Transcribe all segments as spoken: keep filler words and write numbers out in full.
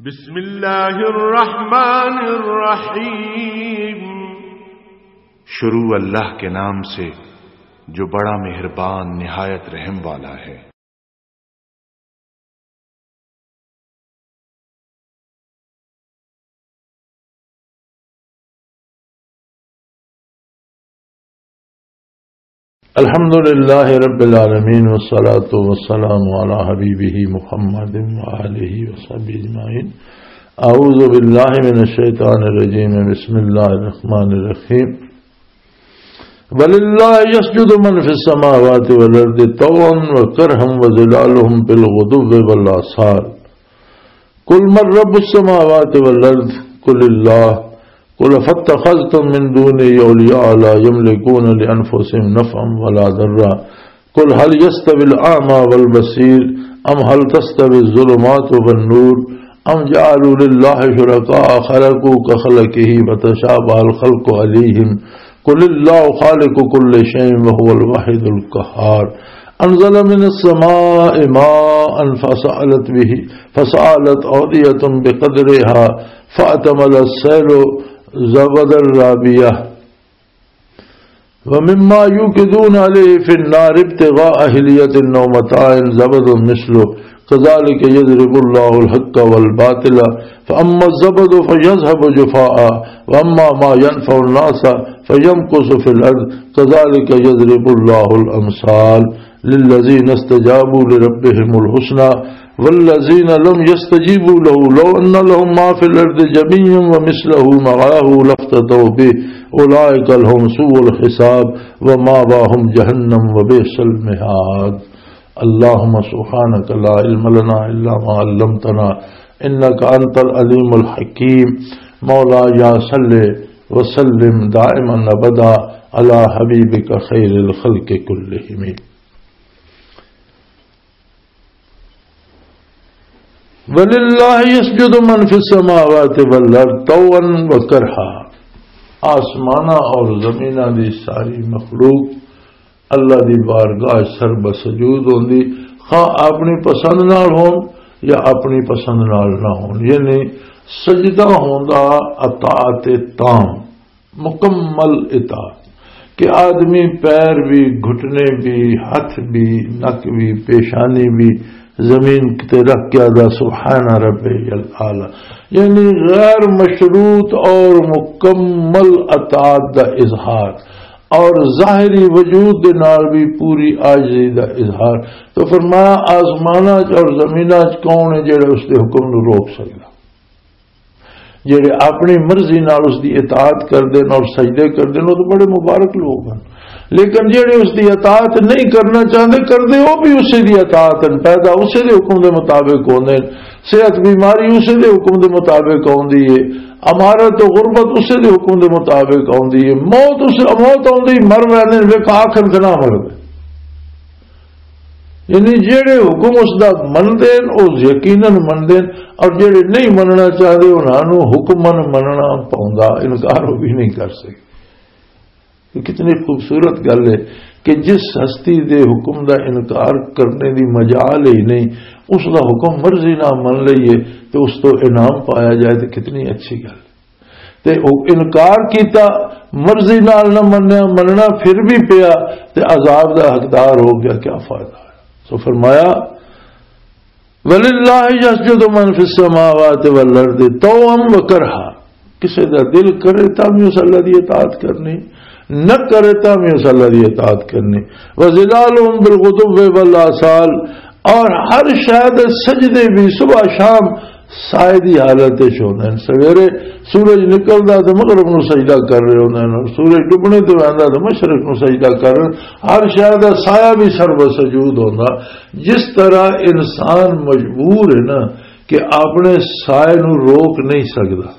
بسم اللہ الرحمن الرحیم۔ شروع اللہ کے نام سے جو بڑا مہربان نہایت رحم والا ہے۔ الحمد لله رب العالمين، والصلاة والسلام على حبيبه محمد وآله وصحبه أجمعين. أعوذ بالله من الشيطان الرجيم. بسم الله الرحمن الرحيم. ولله يسجد من في السماوات والأرض طوعا وكرها وظلالهم بالغدو والآصال. قل من رب السماوات والأرض؟ قل الله. قل فاتخذتم من دونه أولياء لا يملكون لأنفسهم نفعا ولا ضرا. قل هل يستوي الأعمى والبصير أم هل تستوي الظلمات والنور أم جعلوا لله شركاء خلقوا كخلقه فتشابه الخلق عليهم. قل الله خالق كل شيء وهو الواحد القهار. أنزل من السماء ماء فسالت به، فسالت أودية بقدرها فاحتمل السيل زبدا رابيا ومما يوقدون عليه في النار ابتغاء حلية أو متاع زبد مثله كذلك يضرب الله الحق والباطل فأما الزبد فيذهب جفاء وأما ما ينفع الناس فيمكث في الأرض كذلك يضرب الله الأمثال للذين استجابوا لربهم الحسنى والذين لم يستجيبوا له لو أن لهم ما في الأرض جميعا ومثله معه لافتدوا به أولئك لهم سوء الحساب ومأواهم جهنم وبئس المهاد. اللهم سبحانك لا علم لنا إلا ما علمتنا إنك أنت العليم الحكيم. مولاي صل وسلم دائما أبدا على حبيبك خير الخلق كلهم. وللہ یسجد من فی السماوات والارض طوعا و کرہا۔ آسماناں اور زمیناں دی ساری مخلوق اللہ دی بارگاہ سر بسجود ہوندی، خواہ اپنی پسند نال ہون یا اپنی پسند نال نہ ہون، یعنی سجدہ ہوندا اطاعت تام، مکمل اطاعت، کہ آدمی پیر بھی، گھٹنے بھی، ہاتھ بھی، نک بھی، پیشانی بھی زمین تے رکھ کے آدھا سبحان ربی الاعلی، یعنی غیر مشروط اور مکمل اطاعت دا اظہار، اور ظاہری وجود دے نال بھی پوری عاجزی دا اظہار۔ تو فرمایا، آسماناں چ اور زمیناں چ کون ہے جڑے اس دے حکم نو روک سکدا؟ جڑے اپنی مرضی نال اس دی اطاعت کردے نے اور سجدے کردے نے، وہ تو بڑے مبارک لوگ ہیں۔ لیکن جڑے اس دی اطاعت نہیں کرنا چاہتے، کردے وہ بھی اسی دی اطاعت ہیں، پیدا اسی دے حکم دے مطابق ہوندے ہیں، صحت بیماری اسی دے حکم دے مطابق ہوندی ہے، امارت و غربت اسی دے حکم دے مطابق ہوندی ہے، موت اس، موت آندی، مر ویندے نے، ویکھ آخر تے نہ مردے۔ یعنی جڑے حکم اس دا مندے نے، او یقیناً مندے نے، اور جڑے نہیں مننا چاہتے، انہاں نوں حکماً مننا پوندا، انکار وہ بھی نہیں کر سکتے۔ یہ کتنی خوبصورت گل ہے کہ جس ہستی دے حکم دا انکار کرنے دی مجال ہی نہیں، اس دا حکم مرضی نہ من لئیے تو اس تو انعام پایا جائے، تو کتنی اچھی گل۔ تے او انکار کیتا، مرضی نال نہ منیا، مننا پھر بھی پیا، تے عذاب دا حقدار ہو گیا، کیا فائدہ ہے؟ سو فرمایا، وللہ یسجد من فی السماوات والارض طوعا و کرہا۔ کسے دا دل کرے تاں بھی اس اللہ دی اطاعت کرنی، نہ کرے تاں بھی اس اللہ دی اطاعت کرنی۔ وظلالہم بالغدو والآصال، اور ہر شے دے سجدے بھی صبح شام سائے دی حالت وچ ہوندے نے۔ سویرے سورج نکلدا تے مغرب نوں سجدہ کر رہے ہوندے نے، اور سورج ڈبنے تے ویندا تے مشرق نوں سجدہ کر رہے۔ ہر شے دا سایہ بھی سر بسجود ہوندا۔ جس طرح انسان مجبور ہے نا کہ اپنے سائے نوں روک نہیں سکدا،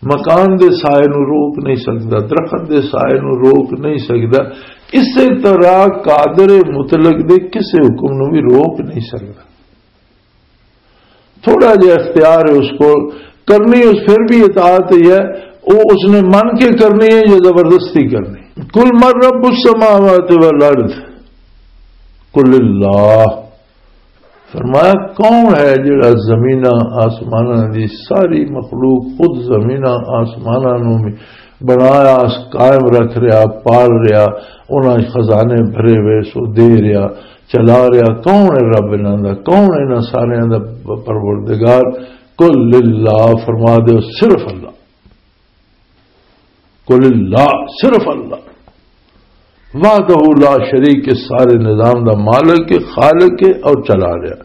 مکان دے سائے نوں روک نہیں سکدا، درخت دے سائے نوں روک نہیں سکدا، اسی طرح قادر مطلق دے کسے حکم نوں بھی روک نہیں سکدا۔ تھوڑا جہا اختیار ہے اس کو، کرنی اس پھر بھی اطاعت ہی ہے، وہ اس نے من کے کرنی ہے یا زبردستی کرنی۔ قل من رب السماوات والارض، قل اللہ۔ فرمایا، کون ہے جڑا زمیناں آسماناں دی ساری مخلوق، خود زمیناں آسماناں نوں بھی بنایا، قائم رکھ رہیا، پال رہیا، انہاں خزانے بھرے ہوئے سو دے رہیا، چلا رہیا؟ کون ہے رب انہاں دا؟ کون ہے انہاں ساریاں دا پروردگار؟ قل اللہ، فرما دیو، صرف اللہ۔ قل اللہ، صرف اللہ، وحدہ لا شریک، اس سارے نظام دا مالک ہے، خالق ہے اور چلا رہا۔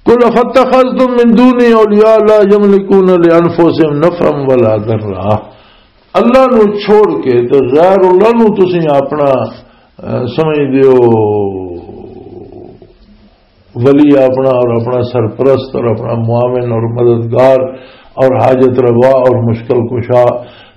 قل افتخذتم من دونی اولیاء لا یملکون لانفسهم نفعا ولا ضرا۔ اللہ نو چھوڑ کے تے غیر اللہ نو تسی اپنا، اہ، سمجھ دیو، ولی اپنا اور اپنا سرپرست اور اپنا معاون اور مددگار اور حاجت روا اور مشکل کشا،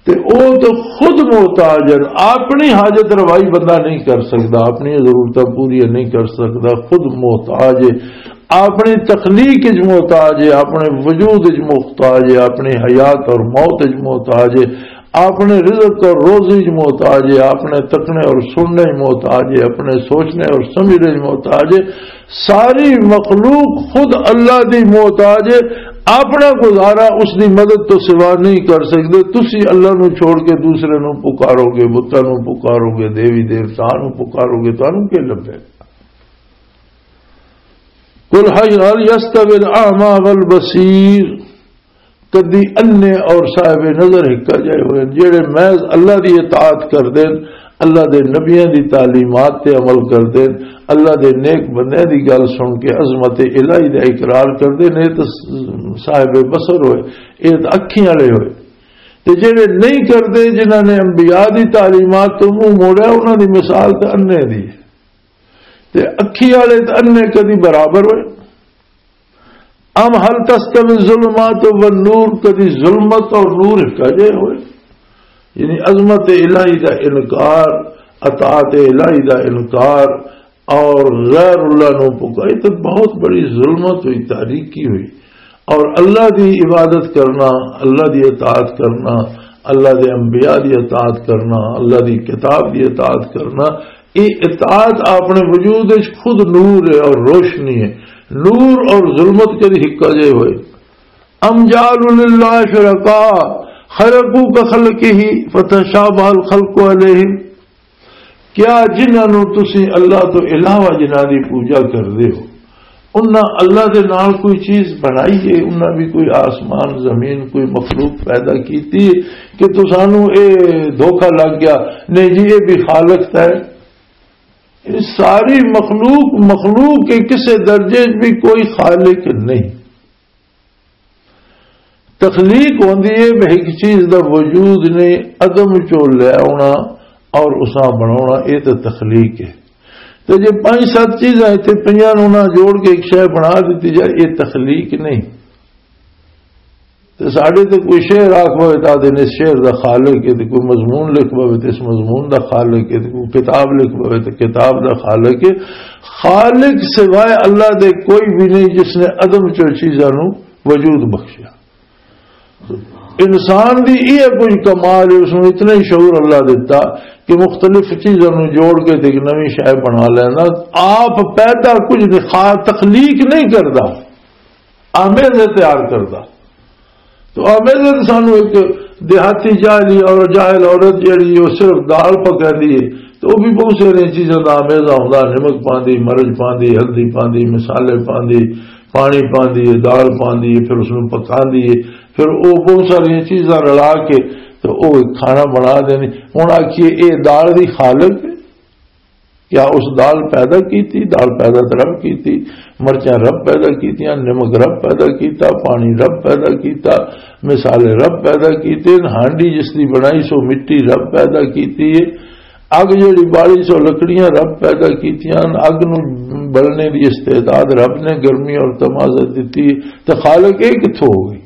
تے او تو خود محتاج ہے۔ اپنی حاجت روائی بندہ نہیں کر سکتا، اپنی ضرورتاں پوریاں نہیں کر سکتا، خود محتاج ہے۔ اپنی تخلیق اچ محتاج ہے، اپنے وجود اچ محتاج ہے، اپنی حیات اور موت اچ محتاج ہے، اپنے رزق اور روزی اچ محتاج ہے، اپنے تکنے اور سننے اچ محتاج ہے، اپنے سوچنے اور سمجھنے اچ محتاج ہے۔ ساری مخلوق خود اللہ دی محتاج ہے، اپنا گزارا اس دی مدد تو سوا نہیں کر سکتے۔ تسی اللہ نو چھوڑ کے دوسرے نو پکارو گے، بتاں نو پکارو گے، دیوی دیوتاں نو پکارو گے، تانوں کی لبھے گا؟ قل هل يستوي الأعمى والبصير، کدی انے اور صاحب نظر ہکا جائے ہوئے؟ جڑے محض اللہ دی اطاعت کر دین، اللہ دے نبیاں دی تعلیمات تے عمل کر دین، اللہ دے نیک بندیاں دی گل سن کے عظمت الہی دا اقرار کر دین، اے تے صاحب بصر ہوئے، اے تے اکھیں والے ہوئے۔ تے جڑے نہیں کردے، جنہاں نے انبیاء دی تعلیمات تو منہ موڑیا، انہاں دی مثال تے انے دی ہے۔ تے اکھی والے تے انے کدی برابر ہوئے؟ ام هل تستوی الظلمات والنور، کدی ظلمت اور نور ہکا جے ہوئے؟ یعنی عظمت الہی دا انکار، اطاعت الہی دا انکار اور غیر اللہ نو پکار، یہ تو بہت بڑی ظلمت ہوئی، تاریکی ہوئی۔ اور اللہ دی عبادت کرنا، اللہ دی اطاعت کرنا، اللہ دے انبیاء دی اطاعت کرنا، اللہ دی کتاب دی اطاعت کرنا، یہ اطاعت اپنے وجود وچ خود نور ہے اور روشنی ہے۔ نور اور ظلمت کدی ہکا جے ہوئے؟ ام جعلوا للہ شرکاء خلقوا کخلقہ فتشابہ الخلق علیہم، کیا جنہاں نوں تسی اللہ تو علاوہ جنہاں دی پوجا کردے ہو، انہاں اللہ دے نال کوئی چیز بنائی ہے؟ انہاں بھی کوئی آسمان، زمین، کوئی مخلوق پیدا کیتی ہے کہ تسانوں اے دھوکا لگ گیا؟ نہیں جی، اے بھی خالق ہے۔ اے ساری مخلوق، مخلوق کے کسے درجے بھی کوئی خالق نہیں۔ تخلیق ہوندی ہے، ایک چیز دا وجود نے عدم چوں لے آنا اور اساں بنانا، اے تے تخلیق ہے۔ تے جے پنج ست چیزاں اتنے پئیاں نوں نہ جوڑ کے ایک شے بنا دتی جائے، اے تخلیق نہیں۔ تے ساڈے تے کوئی شعر آکھ پوے تے آدھے نے اس شعر دا خالق ہے، تے کوئی مضمون لکھ پوے تے اس مضمون دا خالق ہے، تے کوئی کتاب لکھ پوے تے کتاب دا خالق ہے۔ خالق سوائے اللہ دے کوئی بھی نہیں جس نے عدم چوں چیزاں نوں وجود بخشیا۔ انسان دی یہ کوئی کمال ہے، اس نوں اتنا ہی شعور اللہ دیتا کہ مختلف چیزاں نوں جوڑ کے تے ایک نویں شے بنا لینا۔ آپ پیدا کچھ نہیں، خا-، تخلیق نہیں کردا، آمیزے تیار کردا۔ تو آمیزے تے سانو ایک دیہاتی جاہلی اور جاہل عورت جیڑی وہ صرف دال پکاندی ہے، تو وہ بھی بہت ساری چیزاں دا آمیزہ ہوندا، نمک پاندی، مرچ پاندی، ہلدی پاندی، مصالحے پاندی، پانی پاندی ہے، دال پاندی ہے، پھر اس نوں پکاندی ہے، پھر وہ بہت ساری چیزاں رلا کے تو وہ ایک کھانا بنا دینی۔ ہن آکھیے، اے دال دی خالق ہے؟ کیا اس دال پیدا کیتی؟ دال پیدا تو رب کیتی، مرچاں رب پیدا کیتیاں، نمک رب پیدا کیتا، پانی رب پیدا کیتا، مصالحے رب پیدا کیتے، ہانڈی جس دی بنائی سو مٹی رب پیدا کیتی ہے، اگ جڑی بالی سو لکڑیاں رب پیدا کیتیاں، اگ نوں بلنے دی استعداد رب نے گرمی اور تمازت دتی، تے خالق اے کتھوں ہو گئی؟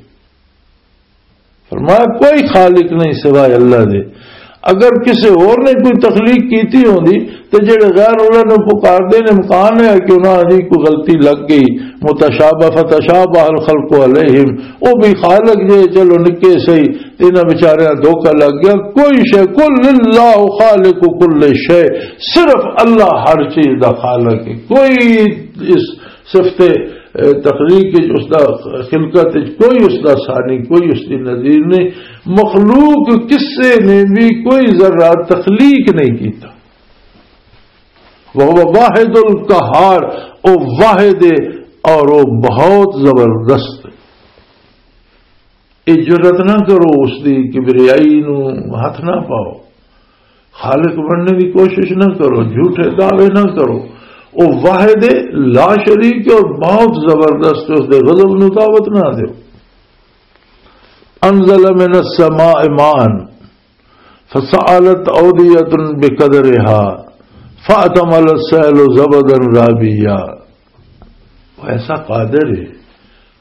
فرمایا، کوئی خالق نہیں سوائے اللہ دے۔ اگر کسی اور نے کوئی تخلیق کیتی ہوندی تے جڑے غیر اللہ نوں پکار دے نے، امکان ہے کہ انہاں دی کوئی غلطی لگ گئی، متشابہ، فتشابہ الخلق علیہم، او بھی خالق جے، چلو نکے سہی، تے انہاں بیچاریاں دھوکا لگ گیا۔ کوئی شے، قل اللہ خالق کل شے، صرف اللہ ہر چیز دا خالق ہے۔ کوئی اس صفت، اے، تخلیق وچ اس دا، خلقت وچ کوئی اس دا ثانی، کوئی اس دی نظیر نہیں۔ مخلوق کسے نے بھی کوئی ذرہ تخلیق نہیں کیتا۔ وَهُوَ الْوَاحِدُ الْقَهَّارُ، او واحد ہے اور وہ بہت زبردست ہے۔ یہ جرت نہ کرو، اس دی کبریائی نو ہاتھ نہ پاؤ، خالق بننے دی کوشش نہ کرو، جھوٹے دعوے نہ کرو۔ وہ واحد ہے، لا شریک ہے اور بہت زبردست ہے، اس دے غضب نو دعوت نہ دیو۔ انزل من السماء ماء فسالت اودیة بقدرها فاحتمل السیل زبدا رابیا۔ وہ ایسا قادر ہے،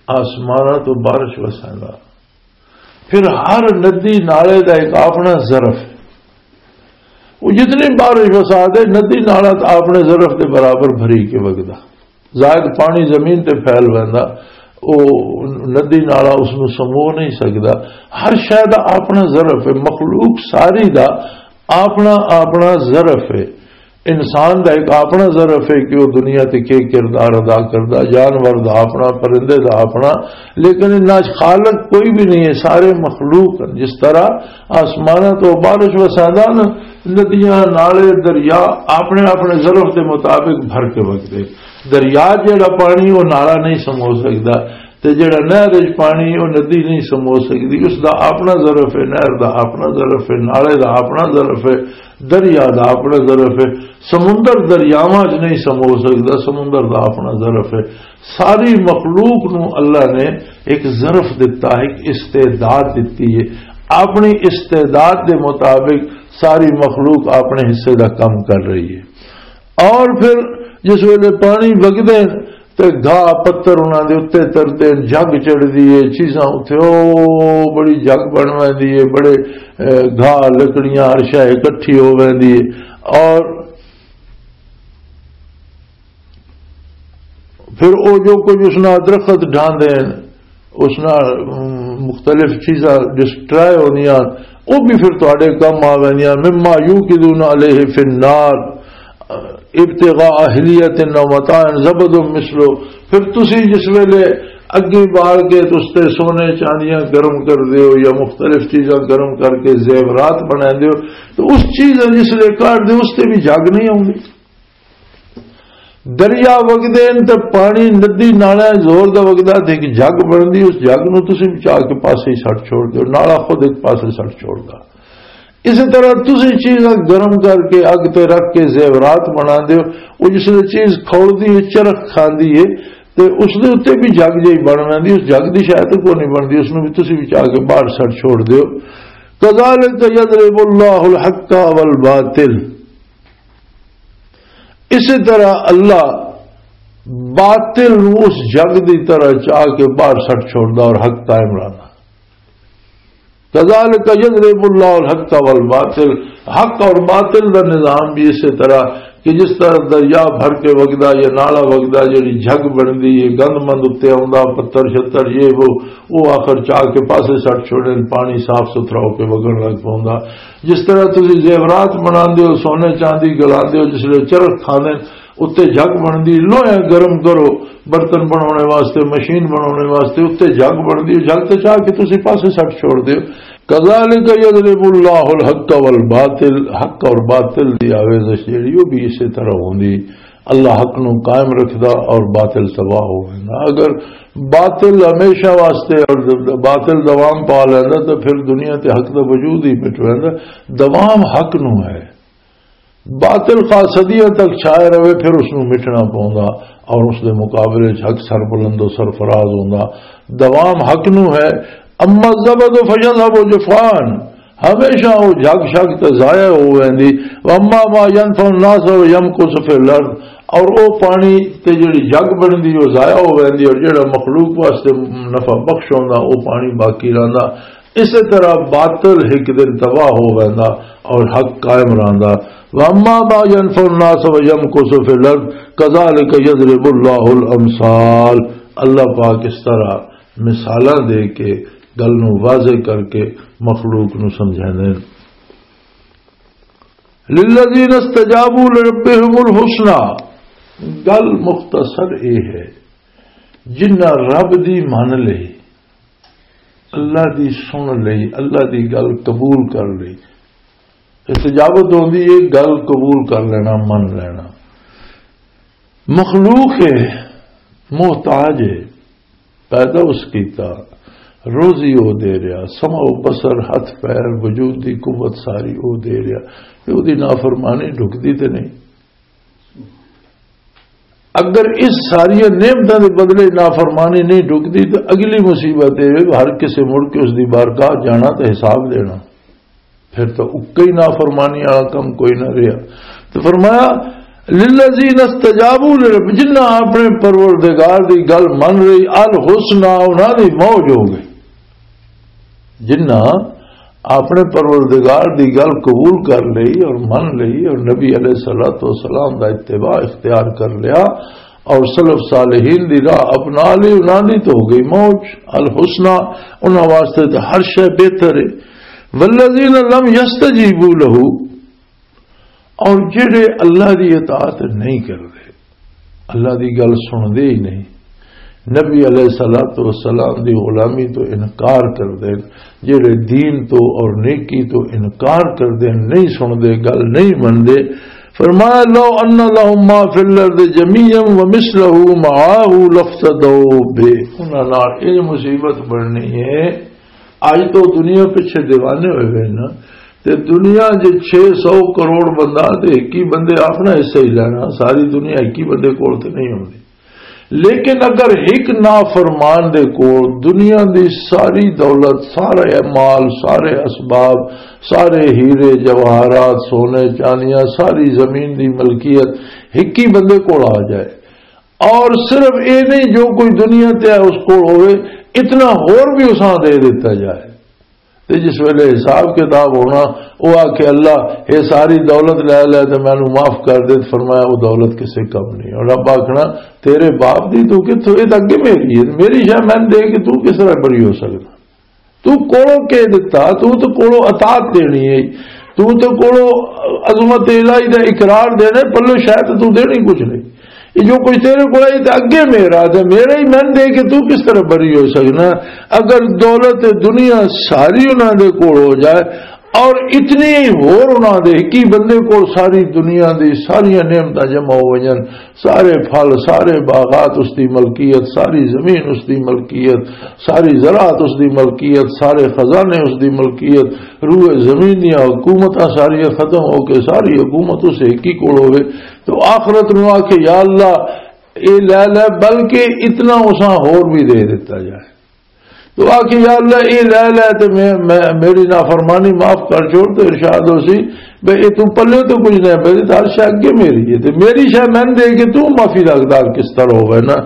آسماناں تو بارش وساندا۔ پھر ہر ندی نالے دا ایک اپنا ظرف ہے۔ وہ جتنی بارش وسا دے، ندی نالا تو اپنے ظرف دے برابر بھری کے وگدا۔ زائد پانی زمین تے پھیل ویندا، او ندی نالا اس نو سمو نہیں سکدا۔ ہر شے دا اپنا ظرف ہے، مخلوق ساری دا اپنا، اپنا ظرف ہے۔ انسان دا ایک اپنا ظرف ہے کہ وہ دنیا تے کے کردار ادا کردا، جانور دا اپنا، پرندے دا اپنا، لیکن انہاں چ خالق کوئی بھی نہیں ہے، سارے مخلوق ہیں۔ جس طرح آسماناں تو بارش وسادا نا، ندیاں، نالے، دریا اپنے اپنے ظرف دے مطابق بھر کے وگدے۔ دریا جڑا پانی، وہ نالا نہیں سمو سکدا، تے جڑا نہر وچ پانی، وہ ندی نہیں سمو سکدی۔ اس دا اپنا ظرف ہے، نہر دا اپنا ظرف ہے، نالے دا اپنا ظرف ہے، دریا دا اپنا ظرف ہے۔ سمندر دریاواں وچ نہیں سمو سکدا، سمندر دا اپنا ظرف ہے۔ ساری مخلوق نو اللہ نے ایک ظرف دتا، ایک استعداد دتی ہے۔ اپنی استعداد دے مطابق ساری مخلوق اپنے حصے دا کم کر رہی ہے۔ اور پھر جس ویلے پانی وگدے تے گھا پتر انہاں دے اُتے تردے، جگ چڑھدی ہے، چیزاں اُتے او بڑی جگ بن ویندی ہے، بڑے، اے، گھا، لکڑیاں، ہر شے اکٹھی ہو ویندی ہے۔ اور پھر او جو کچھ اس نال درخت ڈھاندے ہیں، اس نال، ام، مختلف چیزاں ڈسٹرائے ہوندیاں، او بھی پھر تواڈے کم آ ویندیاں۔ مما یوقدون علیہ فی النار ابتغاء حلیۃ و متاع زبد مثلہ۔ پھر تسی جس ویلے اگے بال کے تے اس تے سونے چاندیاں گرم کر دیو یا مختلف چیزاں گرم کر کے زیورات بنا دیو، تو اس چیز جس لے کر دے، اس تے بھی جگ نہیں آؤندی۔ دریا وگدے نے تے پانی ندی نالے زور دا وگدا تے ایک جگ بندی، اس جگ نو تسی بچا کے پاسے سٹ چھوڑ دیو، نالا خود ایک پاسے سٹ چھوڑدا۔ اسی طرح تسی چیزاں گرم کر کے اگ تے رکھ کے زیورات بنا دیو، وہ جس ویلے چیز کھولدی ہے، چرخ کھاندی ہے، تے اس دے اُتے بھی جگ جئی بن ویندی، اس جگ دی شاید کوئی نہیں بندی، اس نو بھی تسی بچا کے باہر سٹ چھوڑ دیو۔ کذالک یضرب اللہ الحق والباطل، اسی طرح اللہ باطل نو اس جگ دی طرح چاہ کے باہر سٹ چھوڑدا اور حق قائم رہنا۔ کذالک یضرب اللہ الحق والباطل، حق اور باطل دا نظام بھی اسی طرح کہ جس طرح دریا بھر کے وگدا یا نالا وگدا، جڑی جھگ بندی ہے، گند مند اُتے آوندا، پتھر شتر، یہ وہ، وہ آخر چاہ کے پاسے سٹ چھوڑے، پانی صاف ستھرا ہو کے وگن لگ پوندا۔ جس طرح تسی زیورات بناندے ہو، سونے چاندی گلاندے ہو، جس لے چرخ کھاندے، اُتے جھگ بندی، لوہے گرم کرو، برتن بنانے واسطے، مشین بنانے واسطے، اُتے جھگ بندی، جھگ تے چاہ کے تسی پاسے سٹ چھوڑ دیو۔ کذالک یضرب اللہ الحق والباطل، حق اور باطل دی آویزش جڑی، وہ بھی اسی طرح ہوندی۔ اللہ حق نو قائم رکھدا اور باطل تباہ ہو ویندا۔ اگر باطل ہمیشہ واسطے اور باطل دوام پا لیندا، تو پھر دنیا تے حق دا وجود ہی مٹ ویندا۔ دوام حق نو ہے۔ باطل خاصدیاں تک چھائے رہے، پھر اس نو مٹنا پوندا اور اس دے مقابلے وچ حق سربلند و سرفراز ہوندا۔ دوام حق نو ہے۔ اما الزبد فیذهب جفاء، ہمیشہ وہ جھگ شگ تے ضائع ہو ویندی۔ واما ما ينفع الناس فيمكث في الارض، اور وہ پانی تے جڑی جھگ بندی وہ ضائع ہو ویندی، اور جڑا مخلوق واسطے نفع بخش ہوندا وہ پانی باقی رہندا۔ اسی طرح باطل ایک دن تباہ ہو ویندا اور حق قائم رہندا۔ واما ما ينفع الناس فيمكث في الارض كذلك يضرب الله الامثال۔ اللہ پاک اس طرح مثالاں دے کے گل نو واضح کر کے مخلوق نو سمجھاندے نے۔ للذین استجابوا لربهم الحسنی، گل مختصر اے ہے، جنہ رب دی من لئی، اللہ دی سن لئی، اللہ دی گل قبول کر لئی، استجابت ہوندی ہے، گل قبول کر لینا، من لینا۔ مخلوق ہے، محتاج ہے، پیدا اس کیتا، روزی او دے رہا، سمع و بصر، ہتھ پیر، وجود دی قوت ساری او دے رہا، تے او دی نافرمانی ڈھکدی تے نہیں۔ اگر اس ساری نعمتاں دے بدلے نافرمانی نہیں ڈھکدی، تو اگلی مصیبت اے ہے، ہر کسے مڑ کے اس دی بارگاہ جانا تے حساب دینا۔ پھر تو اکا ہی نافرمانی والا کم کوئی نہ رہیا۔ تو فرمایا، "للذین استجابوا لرب"، جنہاں اپنے پروردگار دی گل من رہی، الحسنی، انہاں دی موج ہو گئی۔ جنہاں اپنے پروردگار دی گل قبول کر لئی اور من لئی اور نبی علیہ الصلوۃ والسلام دا اتباع اختیار کر لیا اور سلف صالحین دی راہ اپنا لی، انہاں دی تو ہو گئی موج۔ الحسنی، انہاں واسطے تو ہر شے بہتر ہے۔ والذین لم یستجیبوا لہ، اور جڑے اللہ دی اطاعت نہیں کردے، اللہ دی گل سندے ہی نہیں، نبی علیہ الصلوۃ والسلام دی غلامی تو انکار کردے، جڑے دین تو اور نیکی تو انکار کردے، نہیں سندے، گل نہیں مندے، فرمایا، "لو ان لہم ما فی الارض جمیعا ومثلہ معہ لافتدوا بہ"، انہاں نال یہ مصیبت بننی ہے۔ اج تو دنیا پیچھے دیوانے ہوئے ہوئے نا، تے دنیا جے چھ سو کروڑ بندہ تے ایک ہی بندے اپنا حصہ ہی لینا، ساری دنیا ایک ہی بندے کول تے نہیں ہوندی۔ لیکن اگر ایک نافرمان دے کول دنیا دی ساری دولت، سارے مال، سارے اسباب، سارے ہیرے جواہرات، سونے چانیاں، ساری زمین دی ملکیت ایک ہی بندے کول آ جائے، اور صرف اے نہیں، جو کوئی دنیا تے ہے اس کول ہوئے، اتنا ہور بھی اساں دے دیتا جائے۔ تے جس ویلے حساب کتاب ہونا، او آکھے، "اللہ، اے ساری دولت لے لے تے مینوں معاف کر دے۔" فرمایا، "او دولت کسے کم نہیں۔" اور رب آکھنا، "تیرے باپ دی تو کتھوں؟ اے تاں اگے میری ہے، میری شے میں دے کے تو کس طرح بری ہو سکدا؟ تو کولوں کے دتا؟ تو تو کولوں اطاعت دینی ہے، تو تو کولوں عظمت الہی دا اقرار دینا ہے، پلے شاید تو دینی کچھ نہیں۔ یہ جو کچھ تیرے کول ہے، یہ تے اگے میرا، تے میرا ہی میں دے کے تو کس طرح بری ہو سکنا؟" اگر دولت دنیا ساری انہاں دے کول ہو جائے اور اتنی ہی ہور انہاں دے ایک ہی بندے کول ساری دنیا دی ساریاں نعمتاں جمع ہو جان، سارے پھل، سارے باغات اس دی ملکیت، ساری زمین اس دی ملکیت، ساری زراعت اس دی ملکیت، سارے خزانے اس دی ملکیت، روئے زمین دیاں حکومتاں ساریاں ختم ہو کے ساری حکومت اس ایک ہی کول ہوئے، تو آخرت نو آکھے، "یا اللہ، اے لے لے، بلکہ اتنا اساں ہور بھی دے دیتا جائے۔" تو آکھے، "یا اللہ، اے لے لے تے میں، میں، میری نافرمانی معاف کر چھوڑ۔" تو ارشاد ہو سی، "بے، اے تو پلے تو کچھ نہیں، بے، تے ہر شے اگے میری ہے، تے میری شے میں دے کے تو معافی دا حقدار کس طرح ہوئے نا؟"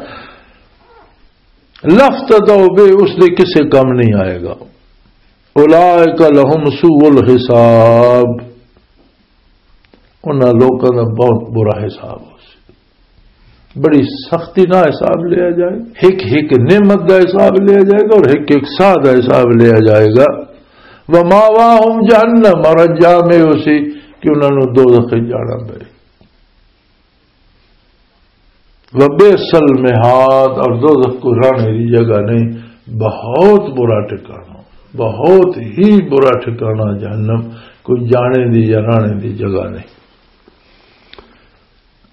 لفظ تو بے، اس دے کسے کم نہیں آئے گا۔ اولئک لہم سوء الحساب، انہاں لوکاں دا بہت برا حساب ہو سی۔ بڑی سختی نال حساب لیا جائے، ایک ایک نعمت دا حساب لیا جائے گا اور ایک ایک ساہ دا حساب لیا جائے گا۔ وماواہم جہنم، اور انجام یہ ہو سی کہ انہاں نوں دوزخ وچ جانا پے۔ وبئس المہاد، اور دوزخ کو رہنے دی جگہ نہیں۔ بہت برا ٹھکانہ، بہت ہی برا ٹھکانہ جہنم، کوئی جانے دی یا رہنے دی جگہ نہیں۔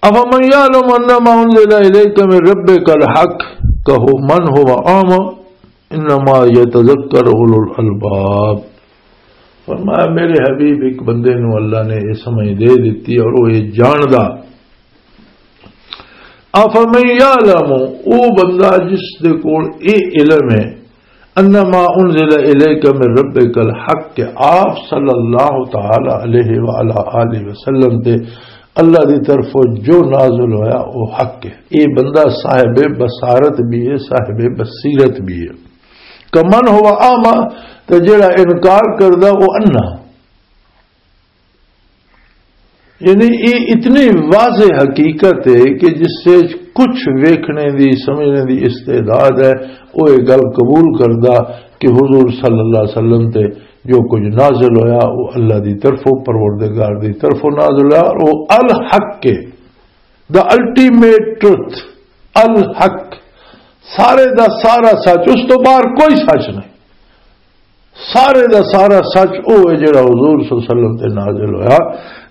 افمن یعلم انما انزل الیک من ربک الحق کمن ھو اعمی انما یتذکر اولو الالباب۔ فرمایا، میرے حبیب، ایک بندے نو اللہ نے یہ سمجھ دے دیتی اور وہ یہ جاندا۔ افمن یعلم، او بندہ جس دے کول اے علم ہے، انما انزل الیک من ربک الحق، کہ آپ صلی اللہ تعالی علیہ وعلی آلہ وسلم تے اللہ دی طرفوں جو نازل ہویا، وہ حق ہے۔ اے بندہ صاحب بصارت بھی ہے، صاحب بصیرت بھی ہے۔ کمن ھو اعمی، تے جڑا انکار کردا، وہ انا۔ یعنی یہ اتنی واضح حقیقت ہے کہ جس سے کچھ ویکھنے دی، سمجھنے دی استعداد ہے، وہ یہ گل قبول کردا کہ حضور صلی اللہ علیہ وسلم تے جو کچھ نازل ہویا، وہ اللہ دی طرفوں، پروردگار دی طرفوں نازل ہویا، اور وہ الحق ہے۔ The ultimate truth, الحق، سارے دا سارا سچ، اس تو باہر کوئی سچ نہیں۔ سارے دا سارا سچ او ہے جڑا حضور صلی اللہ علیہ وسلم تے نازل ہویا۔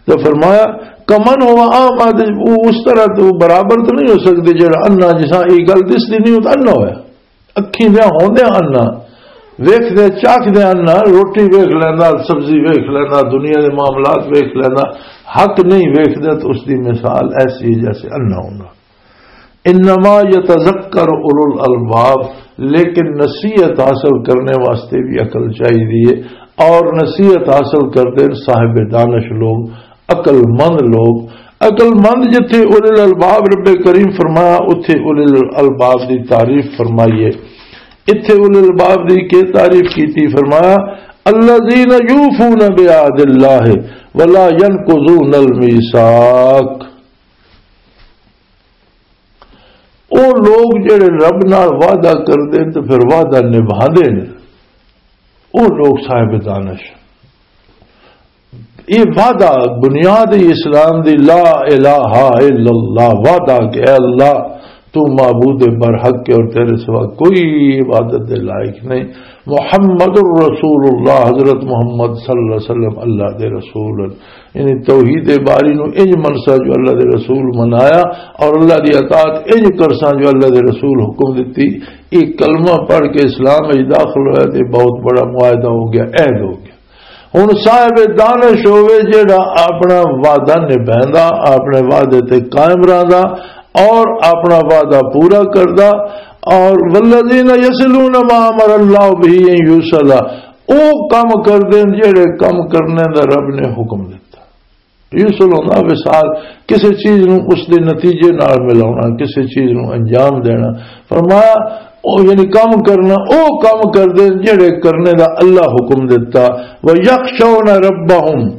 تے فرمایا، کمن ہوا اعمیٰ، تے او اس طرح تے او برابر تو نہیں ہو سکدے جڑا انا، جساں اے گل دسدی نہیں، او تاں انا ہویا۔ اکھیں دے ہوندے انا، ویکھدے چاکھدے انا، روٹی ویکھ لیندا، سبزی ویکھ لیندا، دنیا دے معاملات ویکھ لیندا، حق نہیں ویکھدا، تے اس دی مثال ایسی ہے جیسے انا ہونا۔ انما یتذکر اولو الالباب، لیکن نصیحت حاصل کرنے واسطے بھی عقل چاہیے، اور نصیحت حاصل کردے صاحب دانش لوگ، عقل مند لوگ۔ عقل مند جتھے اولو الالباب رب کریم فرمایا، اتھے اولو الالباب دی تعریف فرمائیے۔ اتھے اولو الالباب دی کے تعریف کیتی؟ فرمایا، الذین یوفون بعہد اللہ ولا ینقضون المیثاق۔ او لوگ جڑے رب نال وعدہ کردے تے پھر وعدہ نبھاندے نے، او لوگ صاحب دانش۔ یہ وعدہ، بنیاد اسلام دی لا الہ الا اللہ، وعدہ کہ اے اللہ، تو معبود برحق ہے اور تیرے سوا کوئی عبادت دے لائق نہیں۔ محمد رسول اللہ، حضرت محمد صلی اللہ علیہ وسلم اللہ دے رسول ہیں۔ یعنی توحید باری نو انج منسا جو اللہ دے رسول منایا، اور اللہ دی اطاعت انج کرساں جو اللہ دے رسول حکم دتی۔ یہ کلمہ پڑھ کے اسلام وچ داخل ہویا تے بہت بڑا معاہدہ ہو گیا، عہد ہو گیا۔ ہن صاحب دانش ہوے جیڑا اپنا وعدہ نبھیندا، اپنے وعدے تے قائم رہندا اور اپنا وعدہ پورا کردا۔ اور والذین یصلون ما امر اللہ به ان یوصل، او کم کردے نے جیڑے کم کرنے دا رب نے حکم دتا۔ یوصل ہونا وصال، کسی چیز نو اس دے نتیجے نال ملاونا، کسی چیز نو انجام دینا۔ فرمایا، او یعنی کم کرنا، او کم کردے نے جیڑے کرنے دا اللہ حکم دتا۔ وَيَخْشَوْنَ رَبَّهُمْ،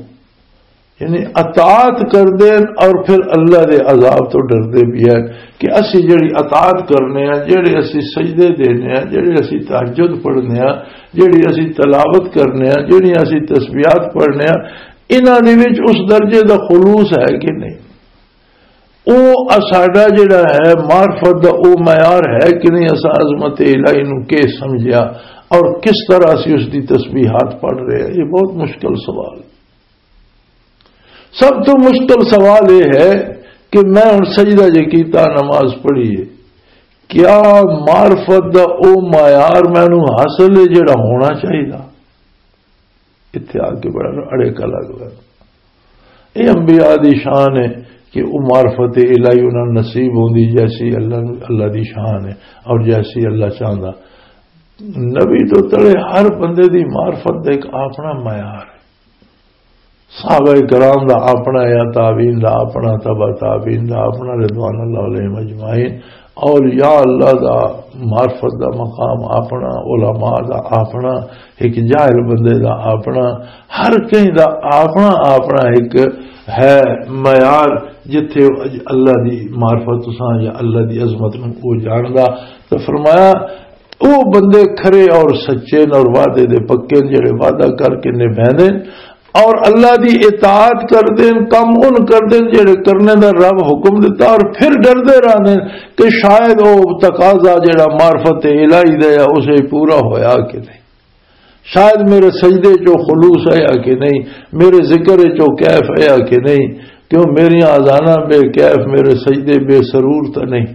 یعنی اطاعت کردے نے اور پھر اللہ دے عذاب تو ڈردے بھی ہیں کہ اسی جڑی اطاعت کرنے ہیں، جڑے اسی سجدے دینے ہیں، جڑے اسی تہجد پڑھنے ہیں، جڑی اسی تلاوت کرنے ہیں، جڑی اسی تسبیحات پڑھنے ہیں، انہاں دے وچ اس درجے دا خلوص ہے کہ نہیں؟ او اساڈا جڑا ہے معرفت دا او معیار ہے کہ نہیں؟ اساں عظمت الہی نو کی سمجھیا اور کس طرح اسی اس دی تسبیحات پڑھ رہے ہیں؟ یہ بہت مشکل سوال۔ سب تو مشکل سوال یہ ہے کہ میں ہن سجدہ جے کیتا، نماز پڑھی ہے، کیا معرفت دا او معیار مینوں حاصل ہے جڑا ہونا چاہیے؟ اتھے آ کے بڑا اڑے کا لگ رہا۔ یہ انبیاء دی شان ہے کہ وہ معرفت الہی انہاں نوں نصیب ہوندی جیسی اللہ، اللہ دی شان ہے اور جیسی اللہ چاہندا۔ نبی تو تڑے ہر بندے دی معرفت دا ایک اپنا معیار ہے۔ صحابہ کرام دا اپنا، یا تابعین دا اپنا، تبع تابعین دا اپنا، رضوان اللہ علیہم اجمعین۔ اولیاء اللہ دا معرفت دا مقام اپنا، علماء دا اپنا، ایک جاہل بندے دا اپنا، ہر کہیں دا اپنا اپنا ایک ہے معیار، جتھے اللہ دی معرفت تساں یا اللہ دی عظمت نوں او جاندا۔ تو فرمایا، او بندے کھرے اور سچے نے اور وعدے دے پکے نے، جڑے وعدہ کر کے نبھیندے نے اور اللہ دی اطاعت کردے نے، کم ان کردے نے جڑے کرنے دا رب حکم دتا، اور پھر ڈردے رہندے نے کہ شاید او تقاضا جڑا معرفت الہی دا ہے، اسے پورا ہویا کہ نہیں، شاید میرے سجدے چو خلوص آیا کہ نہیں، میرے ذکر چو کیف آیا کہ نہیں، کیوں میریاں اذاناں بے کیف، میرے سجدے بے سرور تو نہیں۔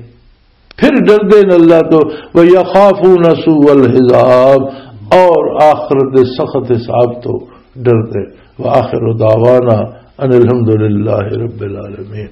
پھر ڈردے نے اللہ تو، وَيَخَافُونَ سُوءَ الْحِسَابِ، اور آخرت دے سخت حساب تو ڈردے۔ وَآخِرُ دَعْوَانَا أَنِ الْحَمْدُ لِلَّهِ رَبِّ الْعَالَمِينَ۔